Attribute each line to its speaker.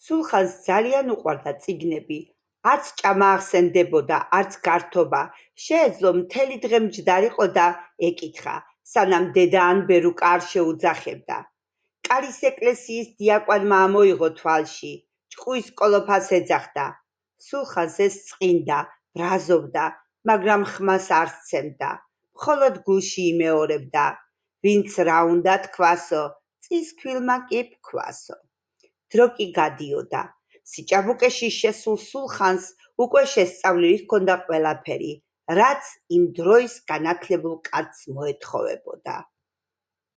Speaker 1: სულხანს ძალიან უყვარდა წიგნები, არც ჭამა ახსენდებოდა, არც გართობა, შეეძლო მთელი დღე მჯდარიყო და ეკითხა, სანამ დედა ან ბერუკა არ შეუძახებდა. კარის ეკლესიის დიაკვანმა ამოიღო თვალში, ჭკუის კოლოფას ეძახდა. სულხანს ეს წყინდა, ბრაზობდა, მაგრამ ხმას არ სცემდა, მხოლოდ გულში იმეორებდა. ვინც რა უნდა თქვასო, წისქვილმა კი ფქვასო. დრო კი გადიოდა. სიჭაბუკეში შესულ სულხანს უკვე შესწავლილი ჰქონდა ყველაფერი, რაც იმ დროის განათლებულ კაცს მოეთხოვებოდა.